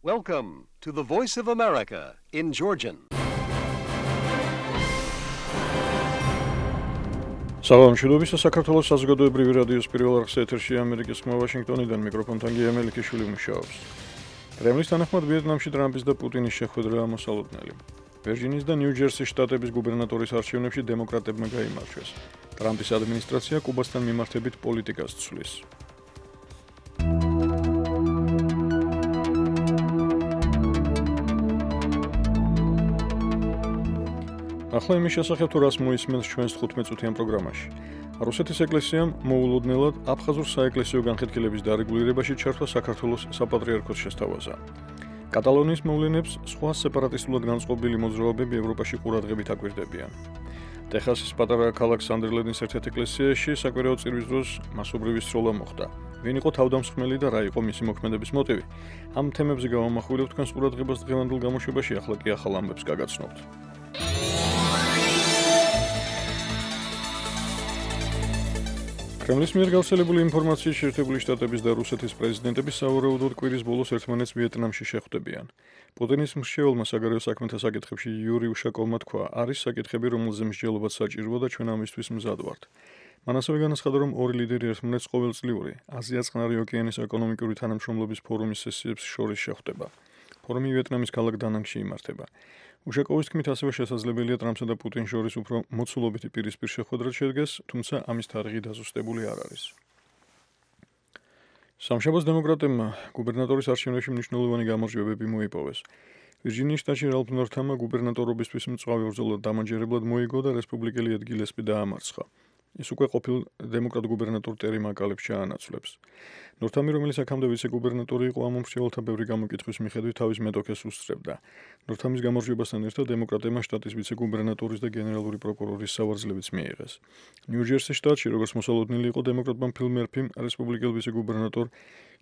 Welcome to the Voice of America in Georgian. Salam შედობის საქართველოს საზოგადოებრივი რადიოს პირველ არხზე ეთერში ამერიკის ხმა ვაშინგტონიდან მიკროფონთან გია მელიქიშვილი მუშაობს. კრემლის თანახმად ვიეტნამში ტრამპის და პუტინის შეხვედრა მოსალოდნელი. ვირჯინიის და ნიუ-ჯერსის შტატების გუბერნატორის არჩევნებში დემოკრატებმა გაიმარჯვეს. ტრამპის ადმინისტრაცია კუბასთან მიმართებით პოლიტიკას ცვლის. ახლა იმის შესახებ თუ რას მოისმენს ჩვენს 15 წუთიან პროგრამაში. რუსეთის ეკლესიამ მოულოდნელად აფხაზურ საეკლესიო განხეთქილების დარეგულირებაში ჩართვა საქართველოს საპატრიარქოს შესთავაზა. კატალონიის მოვლენებს სხვა სეპარატისტულად განწყობილი მოძრაობები ევროპაში ყურადღებით აკვირდებიან. ტეხასის პატარა ქალაქ სანდერლენდის ერთ-ერთ ეკლესიაში საკვირაო წირვის დროს მასობრივი სროლა მოხდა. ვინ იყო თავდამსხმელი და რა იყო მისი მოქმედების მოტივი? ამ თემებზე გავამახვილებთ თქვენს ყურადღებას დღევანდელ გამოშვებაში, ახლა კი ახალ ამბებს გაგაცნობთ. კრემლის მიერ გავრცელებული ინფორმაციის შეერთებული შტატების და რუსეთის პრეზიდენტები სავარაუდოდ კვირის ბოლოს ერთმანეთს ვიეტნამში შეხვდებიან. პუტინის მრჩეველმა საგარეო საქმეთა საკითხებში იური უშაკოვმა თქვა, არის საკითხები, რომელზე მსჯელობაც საჭიროა და ჩვენ ამისთვის მზად ვართ. მან ასევე განაცხადა, რომ ორი ლიდერი ერთმანეთს ყოველწლიური აზია-წყნარი ოკეანის ეკონომიკური თანამშრომლობის ფორუმის სესიებს შორის შეხვდება. ფორუმი ვიეტნამის ქალაქ დანანგში იმართება. უშაკოვის თქმით, ასევე შესაძლებელია ტრამპსა და პუტინს შორის უფრო მოცულობითი პირისპირ შეხვედრა შედგეს, თუმცა ამის თარიღი დაზუსტებული არ არის. სამშაბათს დემოკრატებმა გუბერნატორის არჩევნებში მნიშვნელოვანი გამარჯვებები მოიპოვეს. ვირჯინიის შტატში რალფ ნორთამმა გუბერნატორობისთვის მწვავე ბრძოლა დამაჯერებლად მოიგო და რესპუბლიკელი ედ გილესპი დაამარცხა. ის უკვე ყოფილ დემოკრატ გუბერნატორ ტერი მაკალეფს ჩაანაცვლებს. ნორთამი, რომელიც აქამდე ვიცე-გუბერნატორი იყო, ამ მომხრეველთა ბევრი გამოკითხვის მიხედვით თავის მეტოქეს უსწრებდა. ნორთამის გამარჯვებასთან ერთად დემოკრატებმა შტატის ვიცე-გუბერნატორის და გენერალური პროკურორის სავარძლებიც მიიღეს. ნიუ-ჯერსის შტატში, როგორც მოსალოდნელი იყო, დემოკრატმა ფილ მერფიმ რესპუბლიკელ ვიცე-გუბერნატორ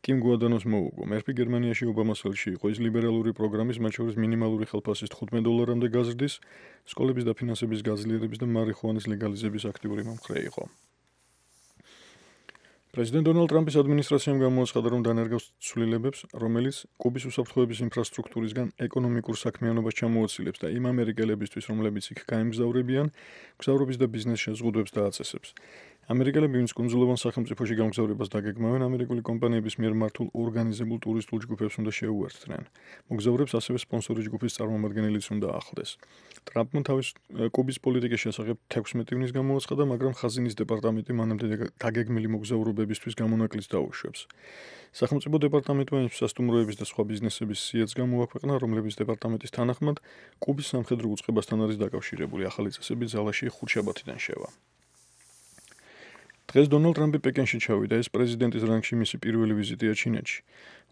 კიმ გუადანოს მოუგო. მერფი გერმანიაში ობამას ხელში იყო, ის ლიბერალური პროგრამის, მათ შორის მინიმალური ხელფასის $15-მდე გაზრდის, სკოლების დაფინანსების გაძლიერების და მარიხუანის ლეგალიზების აქტიური მომხრე იყო. პრეზიდენტ დონალდ ტრამპის ადმინისტრაციამ გამოაცხადა, რომ დანერგავს ცვლილებებს, რომელიც კუბის უსაფრთხოების ინფრასტრუქტურისგან ეკონომიკურ საქმიანობას ჩამოაცილებს და იმ ამერიკელებისთვის, რომლებიც იქ გაემგზავრებიან, მგზავრობის და ბიზნეს შეზღუდვებს დააწესებს. ამერიკელები, ვინც კუნძულოვან სახელმწიფოში გამგზავრებას დაგეგმავენ, ამერიკული კომპანიების მიერ მართულ ორგანიზებულ ტურისტულ ჯგუფებს უნდა შეუერთდნენ. მოგზაურებს ასევე სპონსორი ჯგუფის წარმომადგენელიც უნდა ახლდეს. ტრამპმა თავის კუბის პოლიტიკის შესახებ 16 ივნის გამოაცხადა, მაგრამ ხაზინის დეპარტამენტი მანამდე დაგეგმილი მოგზაურობებისთვის გამონაკლისს დაუშვებს. სახელმწიფო დეპარტამენტმა იმ სასტუმროების და სხვა ბიზნესების სიაც გამოაქვეყნა, რომლების დეპარტამენტის თანახმად კუბის სამხედრო უწყებასთან არის დაკავშირებული. ახალი წესები ძალაში ხუთშაბათიდან შევა. დღეს დონალდ ტრამპი პეკინში ჩავიდა, ეს პრეზიდენტის რანგში მისი პირველი ვიზიტია ჩინეთში.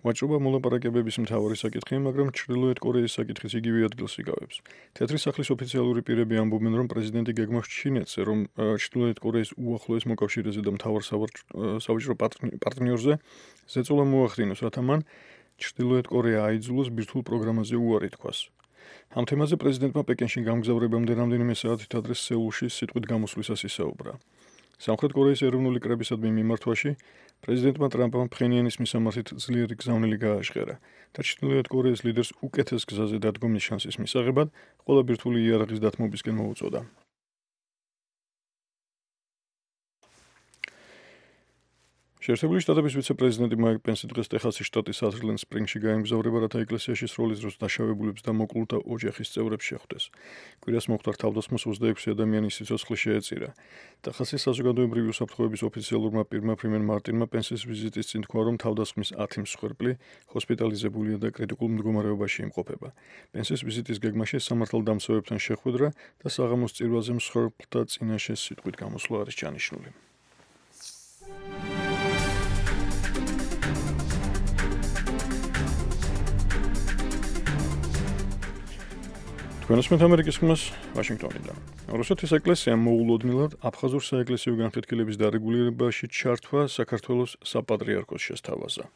ვაჭრობა მოლაპარაკებების მთავარი საკითხია, მაგრამ ჩრდილოეთ კორეის საკითხიც იგივე ადგილს იკავებს. თეთრი სახლის ოფიციალური პირები ამბობენ, რომ პრეზიდენტი გეგმავს ჩინეთზე, რომ ჩრდილოეთ კორეის უახლოეს მოკავშირეზე და მთავარ სავაჭრო პარტნიორზე ზეწოლა მოახდინოს, რათა მან ჩრდილოეთ კორეა აიძულოს ბირთვულ პროგრამაზე უარი თქვას. ამ თემაზე პრეზიდენტმა პეკინში გამგზავრებამდე რამდენიმე საათით ადრე სეულში სიტყვით გამოსვლისას ისაუბრა. სამხრეთ კორეის ეროვნული კრებისადმი მიმართვაში პრეზიდენტმა ტრამპმა ფხენიანის მისამართით ძლიერი გზავნილი გააჟღერა და ჩრდილოეთ კორეის ლიდერს უკეთეს გზაზე დადგომის შანსის მისაღებად ყველა ბირთვული იარაღის დათმობისკენ მოუწოდა. შეერთებული შტატების ვიცე-პრეზიდენტი მაიკ პენსი დღეს ტეხასის შტატის აზრლენდ სპრინგში გაემგზავრება, რათა ეკლესიაში სროლის დროს დაშავებულებს და მოკლულთა ოჯახის წევრებს შეხვდეს. კვირას მომხდარ თავდასხმას 26 ადამიანის სიცოცხლე შეეწირა. ტეხასის საზოგადოებრივი უსაფრთხოების ოფიციალურმა პირმა ფრიმენ მარტინმა პენსის ვიზიტის წინ თქვა, რომ თავდასხმის 10 მსხვერპლი ჰოსპიტალიზებულია და კრიტიკულ მდგომარეობაში იმყოფება. პენსის ვიზიტის გეგმაში სამართალდამცავებთან შეხვედრა და საღამოს წირვაზე მსხვერპლთა წინაშე სიტყვით გამოსვლა არის ჩანიშნული. ჩვენოსმეთ ამერიკის ხმას ვაშინგტონიდან. რუსეთის ეკლესიამ მოულოდნელად აფხაზურ საეკლესიო განხეთქილების დარეგულირებაში ჩართვა საქართველოს საპატრიარქოს შესთავაზა.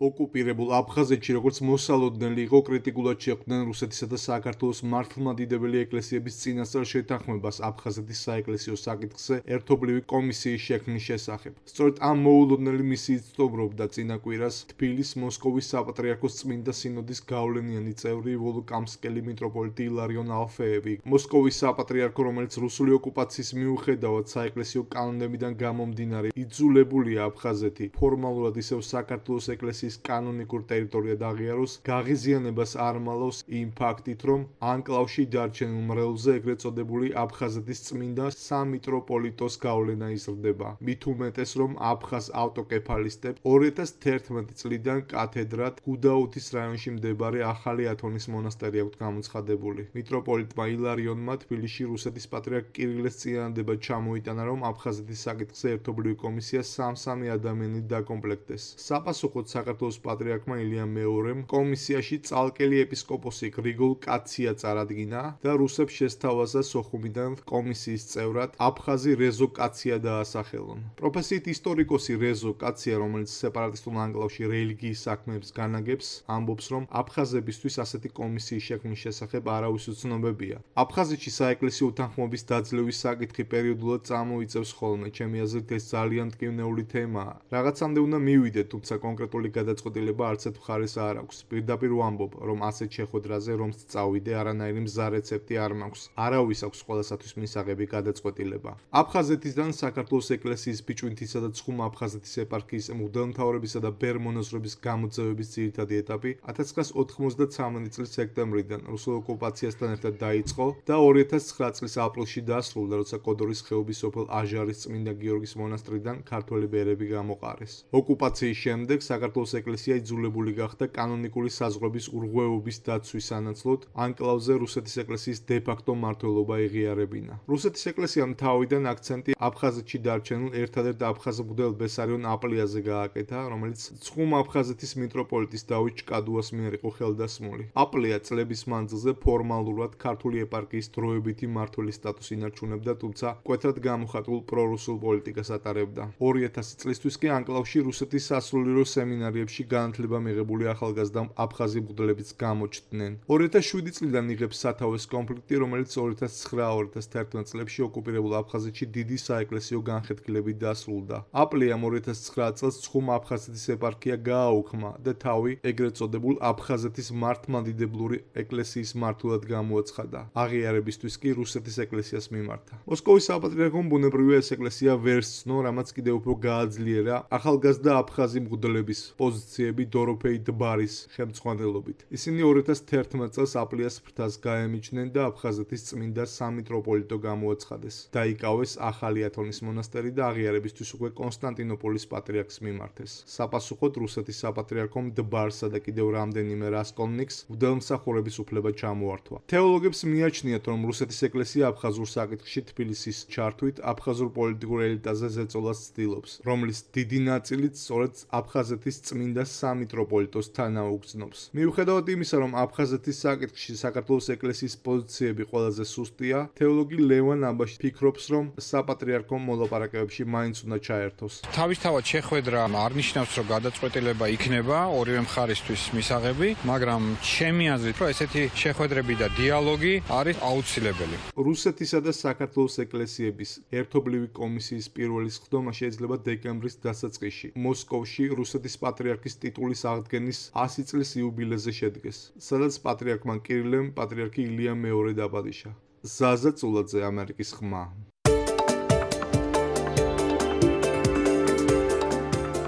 ოკუპირებულ აფხაზეთში როგორც მოსალოდნელი იყო კრიტიკულად შეხვდნენ რუსეთისა და საქართველოს მართლმადიდებელი ეკლესიების წინასწარ შეთანხმებას აფხაზეთის საეკლესიო საკითხზე ერთობლივი კომისიის შექმნის შესახებ. სწორედ ამ მოულოდნელი მისიით სტუმრობდა წინა კვირას თბილისის მოსკოვის საპატრიარქოს წმინდა სინოდის გავლენიანი წევრი ვოლოკამსკელი მიტროპოლიტი ილარიონ ალფეევი. მოსკოვის საპატრიარქო, რომელიც რუსული ოკუპაციის მიუხედავად საეკლესიო კანონებიდან გამომდინარე იძულებულია აფხაზეთი ფორმალურად ისევ საქართველოს ეკლესიის კანონიკურ ტერიტორიად აღიაროს, გაღიზიანებას არ მალავს იმ ფაქტით, რომ ანკლავში დარჩენილ მრევლზე ეგრეთ წოდებული აფხაზეთის წმინდა სამიტროპოლიტოს გავლენა იზრდება. მით უმეტეს, რომ აფხაზ ავტოკეფალისტებს 2011 წლიდან კათედრად გუდაუთის რაიონში მდებარე ახალი ათონის მონასტერი აქვთ გამოცხადებული. მიტროპოლიტმა ილარიონმა თბილისში რუსეთის პატრიარქ კირილეს წინადადება ჩამოიტანა, რომ აფხაზეთის საკითხზე ერთობლივი კომისია სამ-სამი ადამიანით დაკომპლექტდეს. საპასუხოდ საქართველოს პატრიარქმა ილია მეორემ კომისიაში წალკელი ეპისკოპოსი გრიგოლ კაცია წარადგინა და რუსებს შესთავაზა სოხუმიდან კომისიის წევრად აფხაზი რეზო კაცია დაასახელონ. პროფესიით ისტორიკოსი რეზო კაცია, რომელიც სეპარატისტულ ანკლავში რელიგიის საქმეებს განაგებს, ამბობს, რომ აფხაზებისთვის ასეთი კომისიის შექმნის შესახებ არავის უცნობებია. აფხაზეთში საეკლესიო უთანხმოების დაძლევის საკითხი პერიოდულად წამოიწევს ხოლმე. ჩემი აზრით ეს ძალიან მტკივნეული თემაა. რაღაცამდე უნდა მივიდეთ, თუმცა კონკრეტული გადაწყვეტილება არც ერთ მხარეს არ აქვს. პირდაპირ ვამბობ, რომ ასეთ შეხვედრაზე რომც წავიდე, არანაირი მზა რეცეპტი არ მაქვს. არავის აქვს ყველასათვის მისაღები გადაწყვეტილება. აფხაზეთიდან საქართველოს ეკლესიის ბიჭვინთისა და ცხუმ აფხაზეთის ეპარქიის მღვდელმთავრებისა და ბერ-მონაზრების გამოძევების ძირითადი ეტაპი 1993 წლის სექტემბრიდან რუსულ ოკუპაციასთან ერთად დაიწყო და 2009 წლის აპრილში დასრულდა, როცა კოდორის ხეობის სოფელ აჟარის წმინდა გიორგის მონასტრიდან ქართველი ბერები გამოყარეს. ოკუპაციის შემდეგ საქართველოს ეკლესია იძულებული გახდა კანონიკური საზღვრების ურღვევობის დაცვის სანაცვლოდ ანკლავზე რუსეთის ეკლესიის დე-ფაქტო მმართველობა ეღიარებინა. რუსეთის ეკლესიამ თავიდან აქცენტი აფხაზეთში დარჩენილ ერთადერთ აფხაზ მღვდელ ბესარიონ აპლიაზე გააკეთა, რომელიც ცხუმ აფხაზეთის მიტროპოლიტის დავით ჭკადუას მიერ იყო ხელდასმული. აპლია წლების მანძილზე ფორმალურად ქართული ეპარქიის დროებითი მმართველის სტატუსს ინარჩუნებდა, თუმცა მკვეთრად გამოხატულ პრორუსულ პოლიტიკას ატარებდა. 2000 წლისთვის კი ანკლავში რუსეთის სასულიერო სემინარიებში განათლება მიღებული ახალგაზრდა აფხაზი მღვდლებიც გამოჩნდნენ. 2007 წლიდან იღებს სათავეს კონფლიქტი, რომელიც 2009-2011 წლებში ოკუპირებულ აფხაზეთში დიდი საეკლესიო განხეთქილებით დასრულდა. აპლიამ 2009 წელს ცხუმ აფხაზეთის ეპარქია გააუქმა და თავი ეგრეთ წოდებულ აფხაზეთის მართლმადიდებლური ეკლესიის მმართველად გამოაცხადა. აღიარებისთვის კი რუსეთის ეკლესიას მიმართა. მოსკოვის საპატრიარქომ ბუნებრივია ეს ეკლესია ვერ სცნო, რამაც კიდევ უფრო გააძლიერა ახალგაზრდა აფხაზი მღვდლების პოზიციები დოროფეი დბარის ხელმძღვანელობით. ისინი 2011 წელს აპლიას ფრთას გაემიჯნენ და აფხაზეთის წმინდა სამიტროპოლიტო გამოაცხადეს. დაიკავეს ახალი ათონის მონასტერი და აღიარებისთვის უკვე კონსტანტინოპოლის პატრიარქს მიმართეს. საპასუხოდ რუსეთის საპატრიარქომ დბარსა და კიდევ რამდენიმე რასკოლნიკს მღვდელმსახურების უფლება ჩამოართვა. თეოლოგებს მიაჩნიათ, რომ რუსეთის ეკლესია აფხაზურ საკითხში თბილისის ჩართვით აფხაზურ პოლიტიკურ ელიტაზე ზეწოლას ცდილობს, რომლის დიდი ნაწილიც სწორედ აფხაზეთის წმინდა სამიტროპოლიტოს თანაუგრძნობს. მიუხედავად იმისა, რომ აფხაზეთის საკითხში საქართველოს ეკლესიის პოზიციები ყველაზე სუსტია, თეოლოგი ლევან აბაში ფიქრობს, რომ საპატრიარქომ მოლაპარაკებებში მაინც უნდა ჩაერთოს. თავისთავად შეხვედრა არ ნიშნავს, რომ გადაწყვეტილება იქნება ორივე მხარისთვის მისაღები, მაგრამ ჩემი აზრით, რომ ესეთი შეხვედრები და დიალოგი არის აუცილებელი. რუსეთისა და საქართველოს ეკლესიების ერთობლივი კომისიის პირველი სხდომა შეიძლება დეკემბრის დასაწყისში მოსკოვში რუსეთის პატრიარქის ტიტულის აღდგენის 100 წლის იუბილეზე შედგეს, სადაც პატრიარქმა კირილემ პატრიარქი ილია მეორე დაბადიშა. ზაზა წულაძე, ამერიკის ხმა.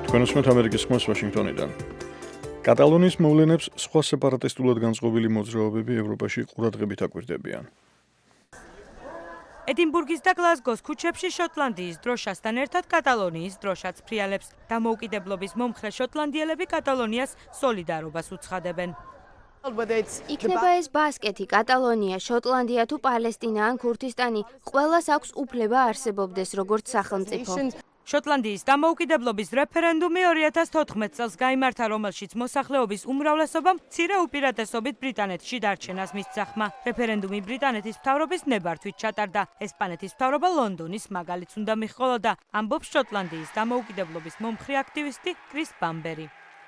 თქვენ უსმენთ ამერიკის ხმას ვაშინგტონიდან. კატალონიის მოვლენებს სხვა სეპარატისტულად განწყობილი მოძრაობები ევროპაში ყურადღებით აკვირდებიან. ედინბურგის და გლაზგოს ქუჩებში შოტლანდიის დროშასთან ერთად კატალონიის დროშაც ფრიალებს. დამოუკიდებლობის მომხრე შოტლანდიელები კატალონიას სოლიდარობას უცხადებენ. იქნება ეს ბასკეთი, კატალონია, შოტლანდია თუ პალესტინა ან ქურთისტანი, ყველას აქვს უფლება არსებობდეს როგორც სახელმწიფო. შოტლანდიის დამოუკიდებლობის რეფერენდუმი 2014 წელს გაიმართა, რომელშიც მოსახლეობის უმრავლესობამ მცირე უპირატესობით ბრიტანეთში დარჩენას მისცახმა. რეფერენდუმი ბრიტანეთის მთავრობის ნებართვით ჩატარდა. ესპანეთის მთავრობა ლონდონის მაგალითს უნდა მიჰყოლოდა, ამბობს შოტლანდიის დამოუკიდებლობის მომხრე აქტივისტი კრის ბამბერი.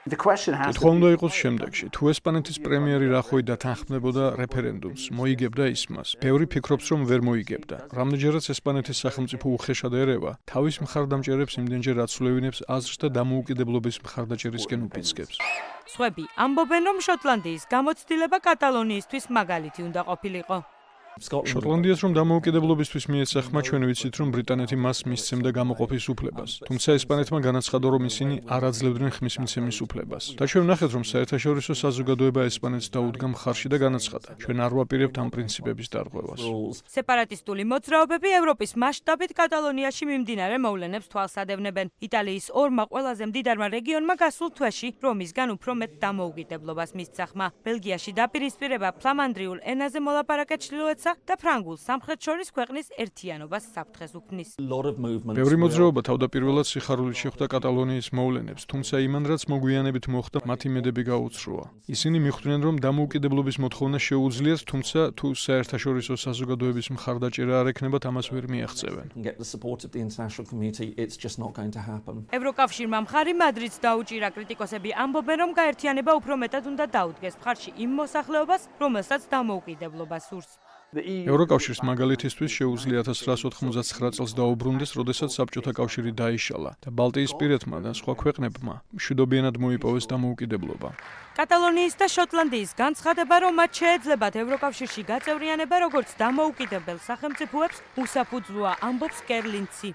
კითხვა უნდა იყოს შემდეგში. თუ ესპანეთის პრემიერი რახვი დათანხმდებოდა რეფერენდუმს, მოიგებდა ის მას. ბევრი ფიქრობს, რომ ვერ მოიგებდა. რამდენჯერაც ესპანეთის სახელმწიფო უხეშად ერევა, თავის მხარდამჭერებს იმდენჯერ აცვლევინებს აზრს და დამოუკიდებლობის მხარდაჭერისკენ უფიცკებს. სხვები ამბობენ, რომ შოტლანდიის გამოცდილება კატალონიისთვის მაგალითი უნდა ყოფილიყო. შოტლანდიას რომ დამოუკიდებლობისთვის მიეცახმა, ჩვენ ვიცით, რომ ბრიტანეთი მას მისცემდა გამოყოფის უფლებას. თუმცა ესპანეთმა განაცხადა, რომ ისინი არ აძლევდნენ ხმის მიცემის უფლებას. და ჩვენ ვნახეთ, რომ საერთაშორისო საზოგადოება ესპანეთს დაუდგა მხარში და განაცხადა, ჩვენ არ ვაპირებთ ამ პრინციპების დარღვევას. სეპარატისტული მოძრაობები ევროპის მასშტაბით კატალონიაში მიმდინარე მოვლენებს თვალს ადევნებენ. იტალიის ორმა ყველაზე მდიდარმა რეგიონმა გასულ თვეში რომისგან უფრო მეტ დამოუკიდებლობას მისცახმა. ბელგიაში დაპირისპირება ფლამანდრიულ ენაზე მოლაპარაკეთ ჩრდილოეთსა და ფრანგულ სამხრეთ შორის ქვეყნის ერთიანობას საფრთხეს უქმნის. ბევრი მოძრაობა თავდაპირველად სიხარულით შეხვდა კატალონიის მოვლენებს, თუმცა იმან რაც მოგვიანებით მოხდა, მათი მედები გაუცროა. ისინი მიხვდნენ, რომ დამოუკიდებლობის მოთხოვნა შეუძლიათ, თუმცა თუ საერთაშორისო საზოგადოების მხარდაჭერა არ ექნებათ, ამას ვერ მიაღწევენ. ევროკავშირმა მხარი მადრიდს დაუჭირა. კრიტიკოსები ამბობენ, რომ გაერთიანება უფრო მეტად უნდა დაუდგეს მხარში იმ მოსახლეობას, რომელსაც დამოუკიდებლობა სურს. ევროკავშირს მაგალითისთვის შეუძლია 1989 წელს დაუბრუნდეს, როდესაც საბჭოთა კავშირი დაიშალა და ბალტიისპირეთმა და სხვა ქვეყნებმა მშვიდობიანად მოიპოვეს დამოუკიდებლობა. კატალონიის და შოტლანდიის განცხადება, რომ მათ შეეძლებათ ევროკავშირში გაწევრიანება როგორც დამოუკიდებელ სახელმწიფოებს, უსაფუძვლოა, ამბობს კერლინცი.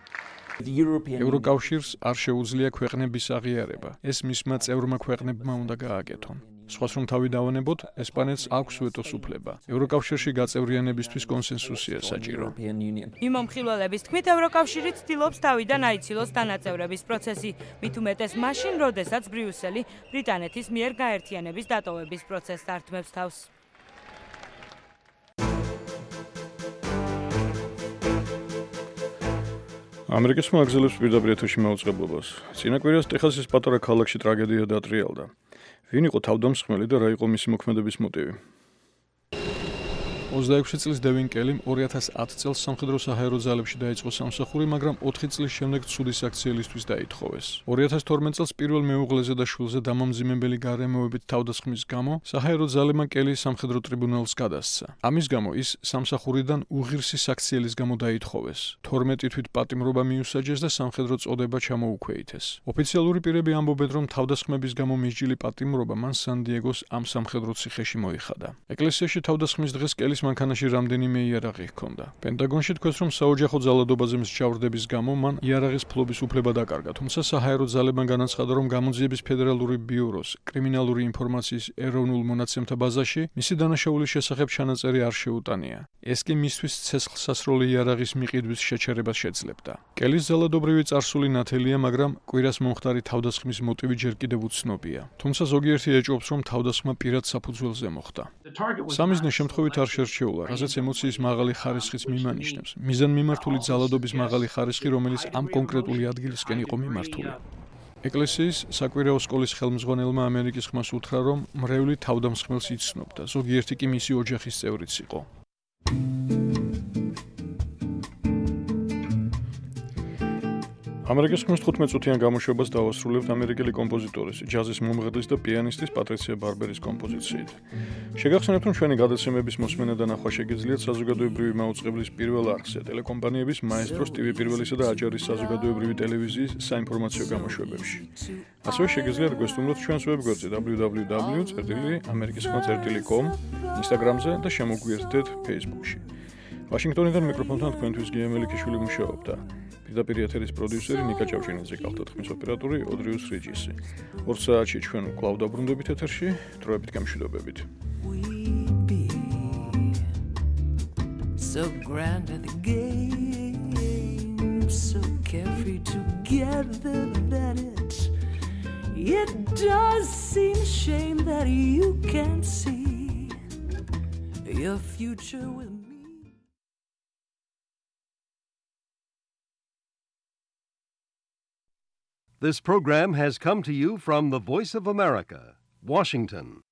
ევროკავშირს არ შეუძლია ქვეყნების აღიარება. ეს მისმა წევრმა ქვეყნებმა უნდა გააკეთონ. სხვას რომ თავი დავანებოთ, ესპანეთს აქვს ვეტოს უფლება. ევროკავშირში გაწევრიანებისთვის კონსენსუსია საჭირო. მიმომხილველების თქმით, ევროკავშირი ცდილობს თავიდან აიცილოს დანაწევრების პროცესი, მით უმეტეს მაშინ, როდესაც ბრიუსელი ბრიტანეთის მიერ გაერთიანების დატოვების პროცესს ართმევს თავს. ამერიკის მაგზელებს პირდაპირ ეთერში მაუწყებლობას. წინა კვირას ტეხასის პატარა ქალაქში ტრაგედია დატრიალდა. ვინ იყო თავდამსხმელი და რა იყო მისი მოქმედების მოტივი? 26 წლის დევინ კელიმ 2010 წელს სამხედრო საჰაერო ძალებში დაიწყო სამსახური, მაგრამ 4 წლის შემდეგ ცუდის აქციელისთვის დაითხოვეს. 2012 წელს პირველ მეუღლეზე და შვილზე დამამძიმებელი გარემოებით თავდასხმის გამო საჰაერო ძალებმა კელის სამხედრო ტრიბუნალს გადასცა. ამის გამო ის სამსახურიდან უღირსი საქციელის გამო დაითხოვეს. 12 თვით პატიმრობა მიუსაჯეს და სამხედრო წოდება ჩამოუქვეითეს. ოფიციალური პირები ამბობენ, რომ თავდასხმების გამო მისჯილი პატიმრობა მან სან-დიეგოს ამ სამხედრო ციხეში მოიხადა. ეკლესიაში თავდასხმის დღეს კელის მანქანაში რამდენიმე იარაღი ჰქონდა. პენტაგონში თქვეს, რომ საოჯახო ძალადობაზე მსჯავრდების გამო მან იარაღის ფლობის უფლება დაკარგა, თუმცა საჰაერო ძალებმა განაცხადა, რომ გამოძიების ფედერალური ბიუროს კრიმინალური ინფორმაციის ეროვნულ მონაცემთა ბაზაში მისი დანაშაულის შესახებ ჩანაწერი არ შეუტანია. ეს კი მისთვის ცეცხლსასროლი იარაღის მიყიდვის შეჩერებას შეძლებდა. კელის ძალადობრივი წარსული ნათელია, მაგრამ კვირას მომხდარი თავდასხმის მოტივი ჯერ კიდევ უცნობია. თუმცა ზოგიერთი ეჭვობს, რომ თავდასხმა პირად საფუძველზე მოხდა. სამიზნე შემთხვევით არ შერჩეულა, რასაც ემოციის მაღალი ხარისხიც მიმანიშნებს. მიზანმიმართული ძალადობის მაღალი ხარისხი, რომელიც ამ კონკრეტული ადგილისკენ იყო მიმართული. ეკლესიის საკვირაო სკოლის ხელმძღვანელმა ამერიკის ხმას უთხრა, რომ მრევლი თავდამსხმელს იცნობდა, ზოგიერთი კი მისი ოჯახის წევრიც იყო. ამერიკის ხმის 15 წუთიან გამოშვებას დავასრულებთ ამერიკელი კომპოზიტორის, ჯაზის მომღერლის და პიანისტის პატრიცია ბარბერის კომპოზიციით. შეგახსენებთ, რომ ჩვენი გადაცემების მოსმენა და ნახვა შეგიძლიათ საზოგადოებრივი მაუწყებლის პირველ არხზე, ტელეკომპანიების მაესტროს TV პირველისა და აჯარის საზოგადოებრივი ტელევიზიის საინფორმაციო გამოშვებებში. ასევე შეგიძლიათ გვესტუმროთ ჩვენს ვებგვერდზე www.amerikiskhma.com, Instagram-ზე და შემოგვიერთდეთ Facebook-ში. ვაშინგტონიდან მიკროფონთან თქვენთვის გია მელიქიშვილი მუშაობდა. პირდაპირ ეთერის პროდიუსერი ნიკა ჭავჭინაძე გახდა, ხმის ოპერატორი ოდრიუს რიჯისი. 2 საათში ჩვენ კვლავ დაბრუნდებით ეთერში, დროებით გამშვიდობებით. So grand at the game, so carefree together that it does seem a shame that you can't see your future with me. This program has come to you from the Voice of America, Washington.